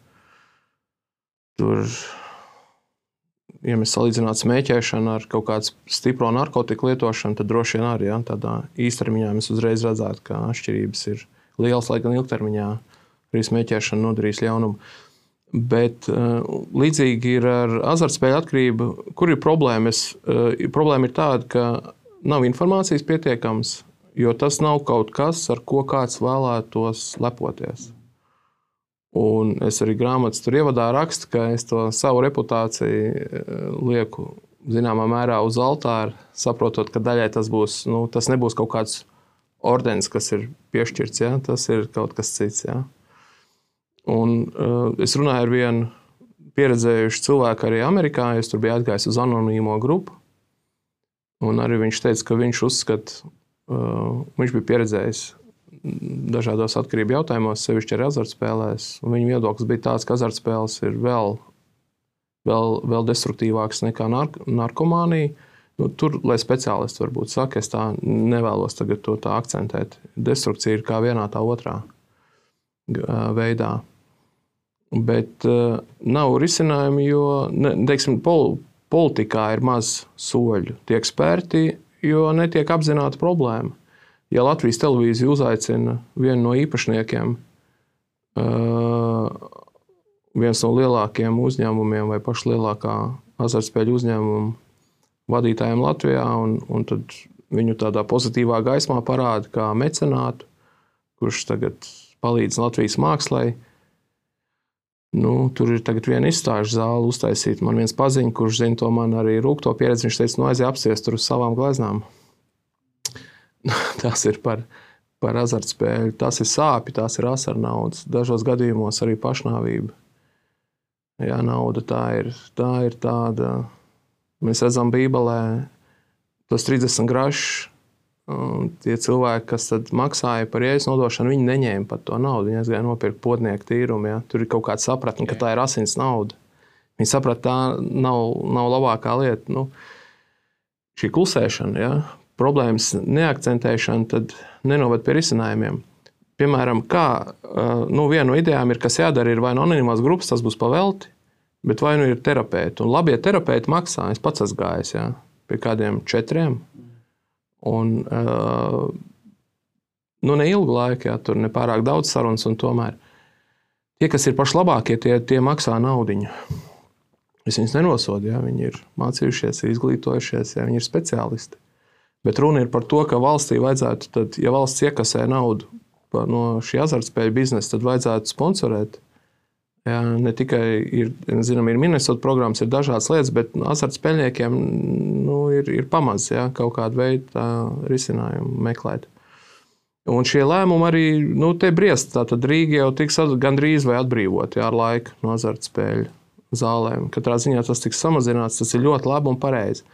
Tur, ja mēs salīdzinātu smēķēšanu ar kaut kādu stipro narkotiku lietošanu, tad droši vien arī, ja, tādā īstermiņā mēs uzreiz redzētu, ka atšķirības ir lielas, lai gan ilgtermiņā arī smēķēšana nodarīs ļaunumu. Bet uh, līdzīgi ir ar azartspēļu atkarību. Kur ir problēma? Es, uh, problēma ir tāda, ka nav informācijas pietiekams, jo tas nav kaut kas, ar ko kāds vēlētos lepoties. Un es arī grāmatas tur ievadā rakstu, ka es to savu reputāciju lieku zināmā mērā uz altāra, saprotot, ka daļai tas būs, nu, tas nebūs kaut kāds ordenis, kas ir piešķirts, ja? Tas ir kaut kas cits. Ja? Un uh, es runāju ar vienu pieredzējušu cilvēku arī Amerikā, es tur biju atgājis uz anonīmo grupu, un arī viņš teica, ka viņš uzskata, uh, viņš bija pieredzējis dažādos atkarību jautājumos, sevišķi arī azartspēlēs. Viņa viedoklis bija tāds, ka azartspēles ir vēl, vēl, vēl destruktīvākas nekā nark narkomānija. Nu, tur, lai speciālisti varbūt saka, es tā nevēlos tagad to tā akcentēt. Destrukcija ir kā vienā tā otrā veidā. Bet uh, nav risinājumi, jo, ne, teiksim, pol politikā ir maz soļu. Tiek spērti, jo netiek apzināta problēma. Ja Latvijas televīzija uzaicina vienu no īpašniekiem, viens no lielākajiem uzņēmumiem vai pašu lielākā azartspēļu uzņēmumu vadītājiem Latvijā, un, un tad viņu tādā pozitīvā gaismā parāda kā mecenātu, kurš tagad palīdz Latvijas mākslai. Nu, tur ir tagad viena izstāžu zāle uztaisīta. Man viens paziņa, kurš zina to man arī rūkto pieredzi, viņš teica, nu aiziet apsies tur uz savām gleznām. Tas ir par, par azartspēļu. Tas ir sāpi, tās ir asarnaudas. Dažos gadījumos arī pašnāvība. Jā, nauda tā ir, tā ir tāda. Mēs redzam Bībelē tos trīsdesmit grašus. Tie cilvēki, kas tad maksāja par jēzus nodošanu, viņi neņēma pat to naudu. Viņi aizgāja nopirkt potnieku tīrumu. Ja? Tur ir kaut kāda sapratne, ka tā ir asins nauda. Viņi saprat, tā nav, nav labākā lieta. Nu, šī klusēšana, ja? Problēmas neakcentēšana, tad nenoved pie risinājumiem. Piemēram, kā, nu, viena no idejām ir, kas jādara, ir vai no anonīmās grupas, tas būs pavelti, bet vai nu ir terapeiti. Un labie terapeiti maksā, es pats esmu gājis, ja, pie kādiem četriem. Un, nu, ne ilgu laiku, ja, tur nepārāk daudz sarunas, un tomēr tie, kas ir paši labākie, tie, tie maksā naudiņu. Es viņus nenosodu, ja, viņi ir mācījušies, ir izglītojušies, ja, viņi ir speciālisti. Bet runa ir par to, ka valstī vajadzētu, tad, ja valsts iekasē naudu no šī azartspēļu biznesa, tad vajadzētu sponsorēt. Jā, ne tikai ir, zinām, ir Minnesota programmas, ir dažādas lietas, bet azartspēļniekiem nu, ir, ir pamaz, jā, kaut kādu veidu tā, risinājumu meklēt. Un šie lēmumi arī, nu, te briest, tātad Rīga jau tiks gandrīz vai atbrīvot, jā, ar laiku no azartspēļu zālēm. Katrā ziņā tas tiks samazināts, tas ir ļoti labi un pareizi.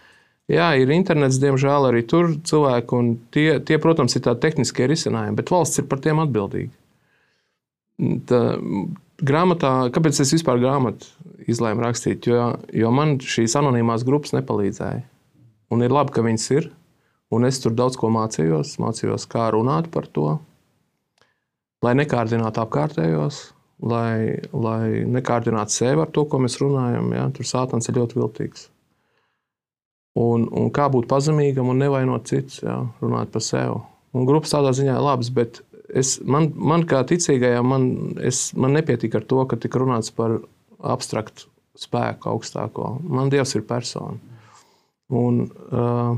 Jā, ir internets, diemžēl arī tur cilvēki, un tie, tie protams, ir tādi tehniskie risinājumi, bet valsts ir par tiem atbildīga. Tā, grāmatā, kāpēc es vispār grāmatu izlēmu rakstīt? Jo, jo man šīs anonīmās grupas nepalīdzēja. Un ir labi, ka viņas ir, un es tur daudz ko mācījos, mācījos, kā runāt par to, lai nekārdinātu apkārtējos, lai, lai nekārdinātu sevi ar to, ko mēs runājam. Ja? Tur sātans ir ļoti viltīgs. Un, un kā būt pazemīgam un nevainot citus, jā, runāt par sevi. Un grupas tādā ziņā ir labas, bet es, man, man kā ticīgajam, man, es, man nepietiek ar to, ka tika runāts par abstraktu spēku augstāko. Man Dievs ir persona. Un uh,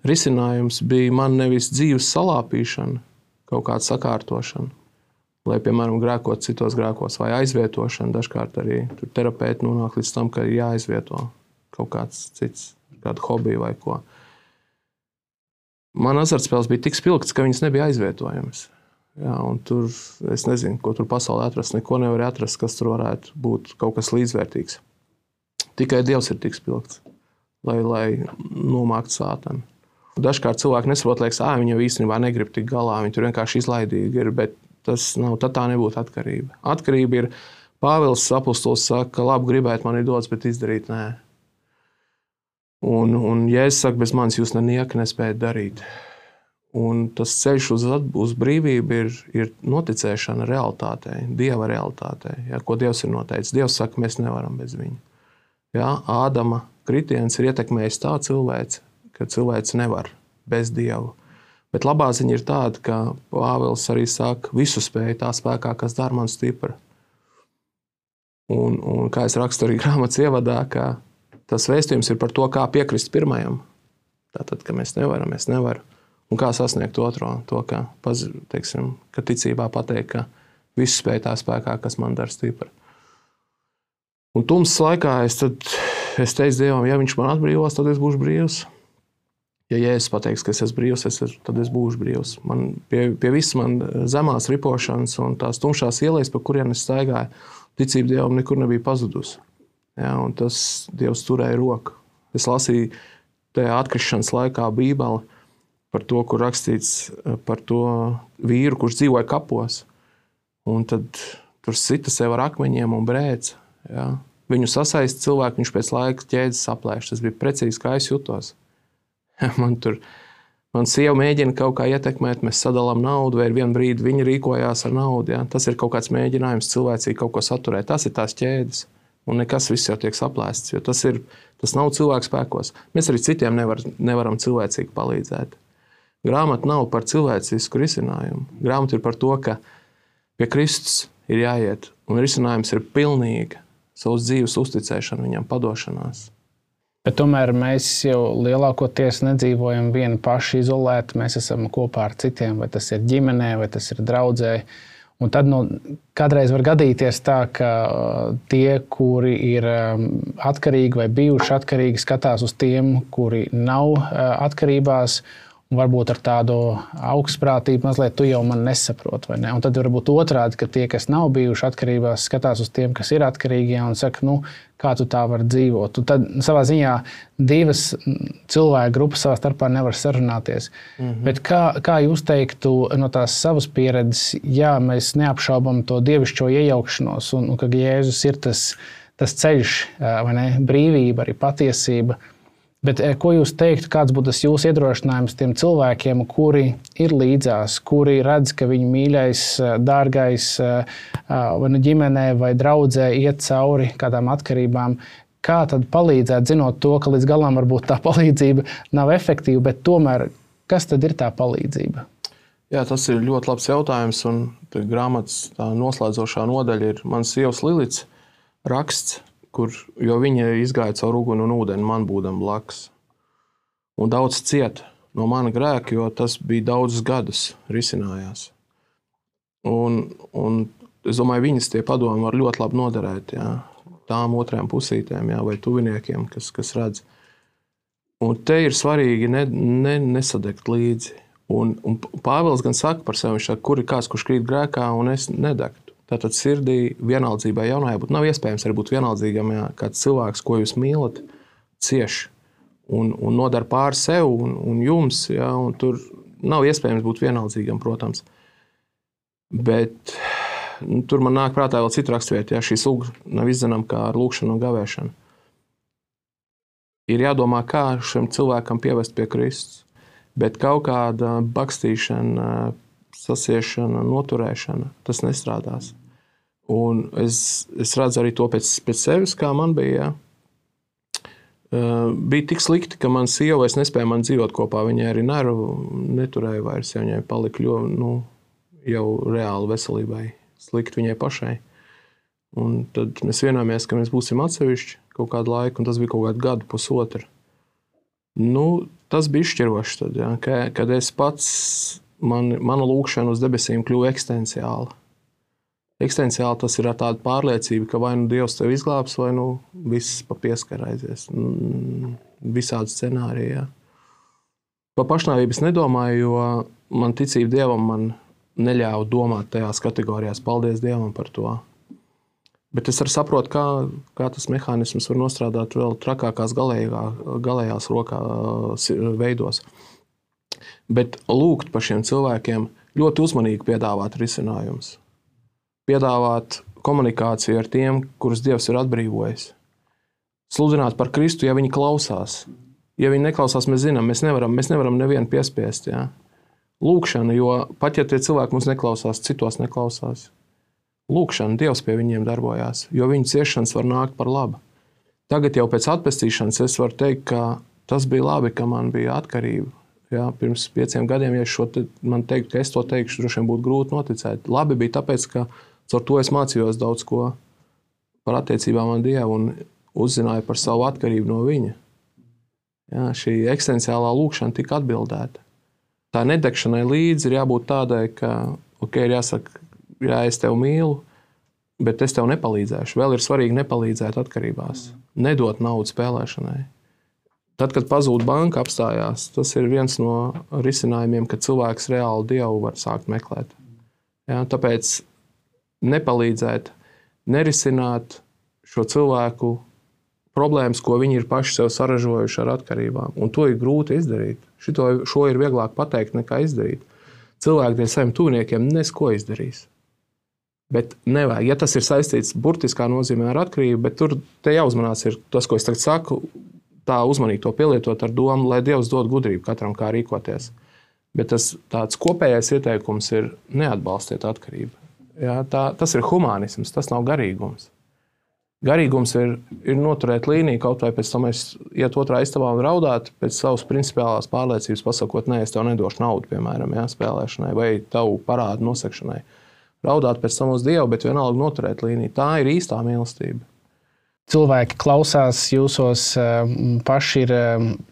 risinājums bija man nevis dzīves salāpīšana, kaut kāda sakārtošana, lai, piemēram, grēkot citos grēkos, vai aizvietošana. Dažkārt arī tur terapeiti nonāk līdz tam, ka ir jāaizvieto kaut kāds cits, kādu hobiju vai ko. Man azartspēles bija tik spilgts, ka viņas nebija aizvietojamas. Jā, un tur, es nezinu, ko tur pasaulē atrast, neko nevar atrast, kas tur varētu būt kaut kas līdzvērtīgs. Tikai Dievs ir tik spilgts, lai, lai nomāktu sātanu. Dažkārt cilvēki nesaprot, liekas, ā, viņi jau īstenībā negrib tik galā, viņi tur vienkārši izlaidīgi ir, bet tas nav, tad tā nebūtu atkarība. Atkarība ir, Pāvils apostols saka, ka labi gribēt man ir dots, bet izdarīt nē. Un, un Jēzus saka, bez manis jūs nenieka nespējat darīt. Un tas ceļš uz, uz brīvību ir, ir noticēšana realitātei, Dieva realitātei, ja, ko Dievs ir noteicis. Dievs saka, mēs nevaram bez viņa. Ja, Ādama kritiens ir ietekmējis tā cilvēci, ka cilvēks nevar bez Dievu. Bet labā ziņa ir tāda, ka Pāvils arī saka, visu spēju tā spēkā, kas dara man stipra. Un, un kā es rakstu arī grāmatas ievadā, ka tas vēstījums ir par to, kā piekrist pirmajam. Tātad, ka mēs nevaram, mēs nevaram. Un kā sasniegt otro, to, ka, teiksim, ka ticībā pateikt, ka visu spēju tā spēkā, kas man dara stipra. Un tumsas laikā es, tad, es teicu Dievam, ja viņš man atbrīvos, tad es būšu brīvs. Ja Jēzus pateiks, ka es esmu brīvs, es, tad es būšu brīvs. Man pie, pie visas man zemās ripošanas un tās tumšās ielas, pa kurien es staigāju, ticība Dievam nekur nebija pazudusi. Ja, un tas Dievs turēja roku. Es lasīju tajā atkrišanas laikā Bībeli par to, kur rakstīts par to vīru, kurš dzīvoja kapos. Un tad tur sita sev ar akmeņiem un brēc. Ja. Viņu sasaist cilvēku, viņš pēc laika ķēdes saplēš. Tas bija precīzi, kā es jutos. Man tur, man sieva mēģina kaut kā ietekmēt, mēs sadalām naudu, vai vienu brīdi viņa rīkojās ar naudu. Ja? Tas ir kaut kāds mēģinājums cilvēcīgi kaut ko saturēt. Tas ir tās ķēdes, un nekas viss jau tiek saplēsts, jo tas, ir, tas nav cilvēku spēkos. Mēs arī citiem nevar, nevaram cilvēcīgi palīdzēt. Grāmata nav par cilvēcisku risinājumu. Grāmata ir par to, ka pie Kristus ir jāiet, un risinājums ir pilnīga savas dzīves uzticēšana viņam, padošanās. Bet tomēr mēs jau lielākoties nedzīvojam vieni paši izolēti. Mēs esam kopā ar citiem, vai tas ir ģimenē, vai tas ir draudzē. Un tad nu, kādreiz var gadīties tā, ka tie, kuri ir atkarīgi vai bijuši atkarīgi, skatās uz tiem, kuri nav atkarībās. Un varbūt ar tādu augstprātību mazliet tu jau man nesaproti, vai ne? Un tad varbūt otrādi, ka tie, kas nav bijuši atkarībās, skatās uz tiem, kas ir atkarīgi un saka, nu, kā tu tā var dzīvot. Un tad savā ziņā divas cilvēku grupas savā starpā nevar sarunāties. Mm-hmm. Bet kā, kā jūs teiktu no tās savas pieredzes, jā, mēs neapšaubam to dievišķo iejaukšanos un, un ka Jēzus ir tas, tas ceļš, vai ne, brīvība, arī patiesība. Bet ko jūs teiktu, kāds būtu tas jūsu iedrošinājums tiem cilvēkiem, kuri ir līdzās, kuri redz, ka viņu mīļais, dārgais vai nu ģimenē vai draudzē iet cauri kādām atkarībām? Kā tad palīdzēt, zinot to, ka līdz galam varbūt tā palīdzība nav efektīva, bet tomēr kas tad ir tā palīdzība? Jā, tas ir ļoti labs jautājums, un grāmatas tā noslēdzošā nodaļa ir mans sievas Lilits raksts, kur, jo viņa izgāja caur uguni un ūdeni man būdam blakus. Un daudz cieta no mana grēka, jo tas bija daudzus gadus risinājās. Un, un es domāju, viņas tie padomi var ļoti labi noderēt, jā, tām otrajām pusītēm, jā, vai tuviniekiem, kas, kas redz. Un te ir svarīgi ne, ne, nesadegt līdzi. Un, un Pāvils gan saka par sevi, viņš saka, kur ir kāds, kurš krīt grēkā, un es nedegtu. Tātad sirdī vienaldzībai jaunajā būt. Nav iespējams arī būt vienaldzīgam, ja kāds cilvēks, ko jūs mīlat, cieš un, un nodara pār sev un, un jums. Ja, un tur nav iespējams būt vienaldzīgam, protams. Bet nu, tur man nāk prātā vēl cita rakstvieta, ja šī suga nav izdzenama kā ar lūkšanu un gavēšanu. Ir jādomā, kā šim cilvēkam pievest pie Kristus. Bet kaut kāda bakstīšana, sasiešana, noturēšana, tas nestrādās. Un es, es redzu arī to pēc, pēc sevis, kā man bija. Ja. Uh, bija tik slikti, ka man sieva, es nespēju man dzīvot kopā, viņai arī nervu neturēja vairs, ja viņai palika ļoti, nu, jau reāli veselībai slikti viņai pašai. Un tad mēs vienojāmies, ka mēs būsim atsevišķi kaut kādu laiku, un tas bija kaut kādu gadu, pusotru. Nu, tas bija izšķiroši tad, ja, kad es pats Man, mana lūkšana uz debesīm kļuva eksistenciāla. Eksistenciāli tas ir ar tādu pārliecību, ka vai nu Dievs tevi izglābs, vai nu viss pa pieskaru aizies. Visādi scenāriji. Ja. Pa pašnāvību es nedomāju, jo man ticība Dievam man neļāva domāt tajās kategorijās. Paldies Dievam par to. Bet es arī saprotu, kā, kā tas mehānisms var nostrādāt vēl trakākās galējā, galējās rokā veidos. Bet lūgt par šiem cilvēkiem ļoti uzmanīgi piedāvāt risinājumus. Piedāvāt komunikāciju ar tiem, kurus Dievs ir atbrīvojis. Sludināt par Kristu, ja viņi klausās. Ja viņi neklausās, mēs zinām, mēs nevaram, mēs nevaram nevienu piespiest. Ja? Lūkšana, jo pat ja tie cilvēki mums neklausās, citos neklausās. Lūkšana, Dievs pie viņiem darbojās, jo viņu ciešanas var nākt par labu. Tagad jau pēc atpestīšanas es varu teikt, ka tas bija labi, ka man bija atkarība. Ja? Pirms pieciem gadiem, ja šo te, man teikt, ka es to teikšu, droši vien būtu grūti noticēt. Labi bija tāpēc, ka caur to es mācījos daudz ko par attiecībām ar Dievu un uzzināju par savu atkarību no viņa. Ja, šī eksistenciālā lūkšana tika atbildēta. Tā nedegšanai līdzi ir jābūt tādai, ka, ok, ir jāsaka, jā, es tevi mīlu, bet es tev nepalīdzēšu. Vēl ir svarīgi nepalīdzēt atkarībās. Nedot naudu spēlēšanai. Tad, kad pazūd banka apstājās, tas ir viens no risinājumiem, ka cilvēks reāli Dievu var sākt meklēt. Ja, tāpēc nepalīdzēt, nerisināt šo cilvēku problēmas, ko viņi ir paši sev saražojuši ar atkarībām. Un to ir grūti izdarīt. Šito, šo ir vieglāk pateikt, nekā izdarīt. Cilvēki tiem saviem tuviniekiem nesko izdarīs. Bet nevajag. Ja tas ir saistīts burtiskā nozīmē ar atkarību, bet tur te jāuzmanās ir tas, ko es tagad saku, tā uzmanīgi to pielietot ar domu, lai Dievs dod gudrību katram, kā rīkoties. Bet tas tāds kopējais ieteikums ir neatbalstiet atkarību. Ja, tā, tas ir humānisms, tas nav garīgums. Garīgums ir, ir noturēt līniju, kaut vai pēc tam es iet otrā istabā un raudāt, pēc savas principiālās pārliecības pasakot, nē, es tev nedošu naudu, piemēram, jā, spēlēšanai vai tavu parādu nosegšanai. Raudāt pēc tam uz Dievu, bet vienalga noturēt līniju. Tā ir īstā mīlestība. Cilvēki klausās jūsos, paši ir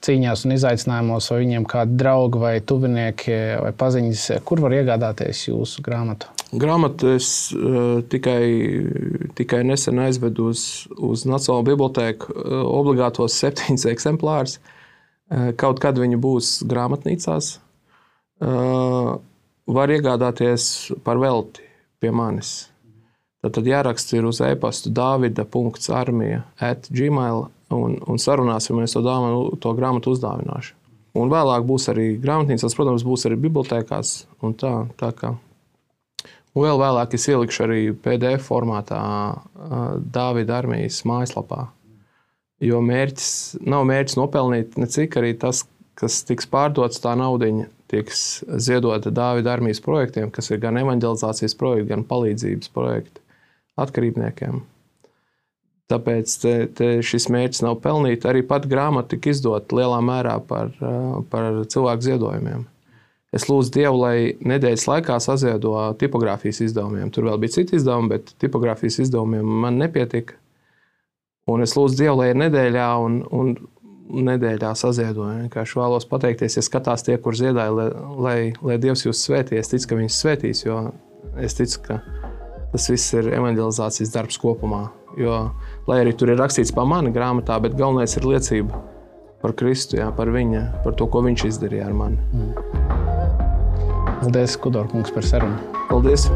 cīņās un izaicinājumos, vai viņiem kādi draugi vai tuvinieki vai paziņas, kur var iegādāties jūsu grāmatu? Grāmatu es uh, tikai, tikai nesen aizvedu uz, uz Nacionālo bibliotēku uh, obligātos septiņus eksemplārus. Uh, kaut kad viņi būs grāmatnīcās. Uh, var iegādāties par velti pie manis. Tad jāraksta ir uz e-pastu davida punkts armija at gmail un, un sarunāsimies to, dāmu, to grāmatu uzdāvināšu. Un vēlāk būs arī grāmatnīcās, protams, būs arī bibliotēkās un tā, tā kā. Un vēl vēlāk es ielikšu arī P D F formātā Dāvida armijas mājaslapā. Jo mērķis, nav mērķis nopelnīt necik arī tas, kas tiks pārdots tā naudiņa, tiks ziedota Dāvida armijas projektiem, kas ir gan evanģelizācijas projekti, gan palīdzības projekti atkarībniekiem. Tāpēc te, te šis mērķis nav pelnīt. Arī pat grāmata tika izdota lielā mērā par, par cilvēku ziedojumiem. Es lūdzu Dievu, lai nedēļas laikā saziedo tipogrāfijas izdevumiem. Tur vēl bija citi izdevumi, bet tipogrāfijas izdevumiem man nepietika. Un es lūdzu Dievu, lai ir nedēļā un, un nedēļā saziedoju. Vienkārši vēlos pateikties, ja skatās tie, kur ziedāja, lai, lai, lai Dievs jūs svētī. Es ticu, ka viņš svētīs, jo es ticu, ka tas viss ir evanģelizācijas darbs kopumā. Jo, lai arī tur ir rakstīts par mani grāmatā, bet galvenais ir liecība par Kristu, jā, par viņa, par to, ko viņš izdarīja ar mani. Paldies, Kudor kungs, par sarunu. Paldies.